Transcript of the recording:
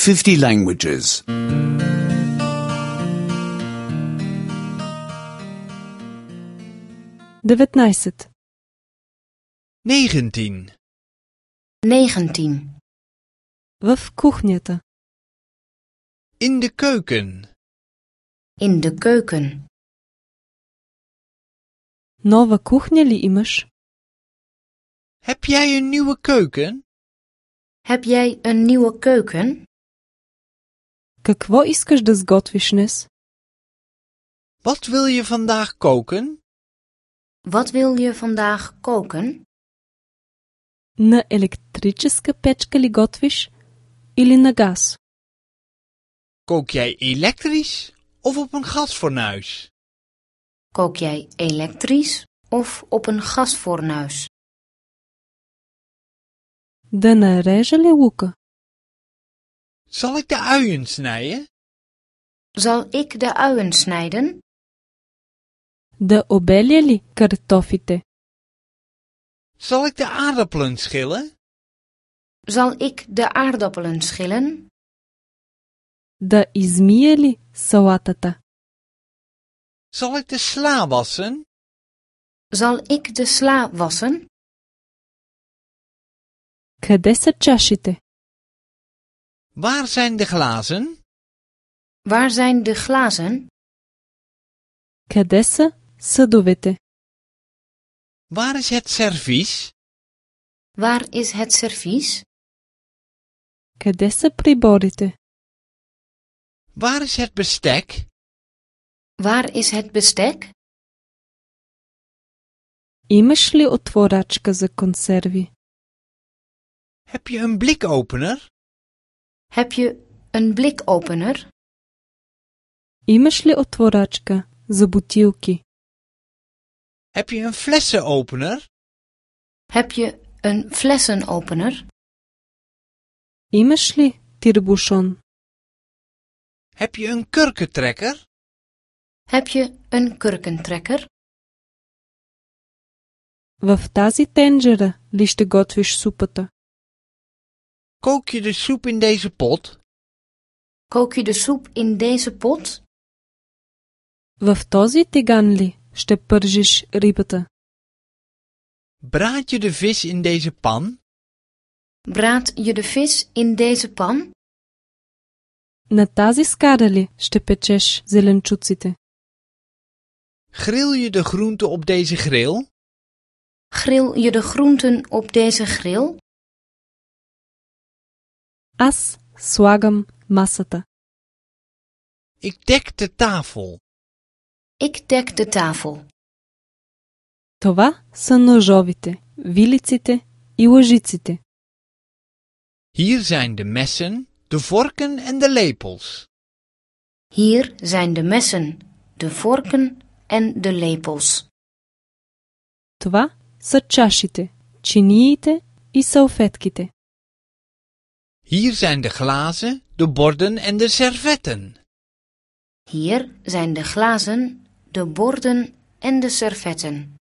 50 languages. 19. 19. 19. В кухнята. In de keuken. In de keuken. Нова кухня ли имаш? Heb jij een nieuwe keuken? Heb jij een nieuwe keuken? Какво искаш да сготвиш днес? Wat wil je vandaag koken? Wat wil je vandaag koken? На електрическа печка ли готвиш или на газ? Kook jij elektrisch of op een gasfornuis? Kook jij elektrisch of op een gasfornuis? Да нарежа ли лука? Zal ik de uien snijden? Zal ik de uien snijden? Да обеля ли картофите? Zal ik de aardappelen schillen? Zal ik de aardappelen schillen? Да измия ли салатата? Zal ik de sla wassen? Zal ik de sla wassen? Къде са чашите? Waar zijn de glazen? Waar zijn de glazen? Къде са съдовете? Waar is het servies? Waar is het servies? Къде са приборите? Waar is het bestek? Waar is het bestek? Имаш ли отворачка за консерви? Heb je een blikopener? Heb je een blikopener? Имаш ли отворачка за бутилки? Heb je een flessenopener? Heb je een flessenopener? Имаш ли тирбушон? Heb je een kurkentrekker? Heb je een kurkentrekker? В тази тенджера ли ще готвиш супата? Kook je de soep in deze pot? Kook je de soep in deze pot? В този тиган ли ще пържиш рибата? Braad je de vis in deze pan? Braad je de vis in deze pan? На тази скара ли ще печеш зеленчуците? Grill je de groenten op deze grill? Grill je de groenten op deze grill? Аз слагам масата. Ik dek de tafel. Ik dek de tafel. Това са ножовите, вилиците и лъжиците. Hier zijn de messen, de vorken en de lepels. Hier zijn de messen, de vorken en de lepels. Това са чашите, чиниите и салфетките. Hier zijn de glazen, de borden en de servetten. Hier zijn de glazen, de borden en de servetten.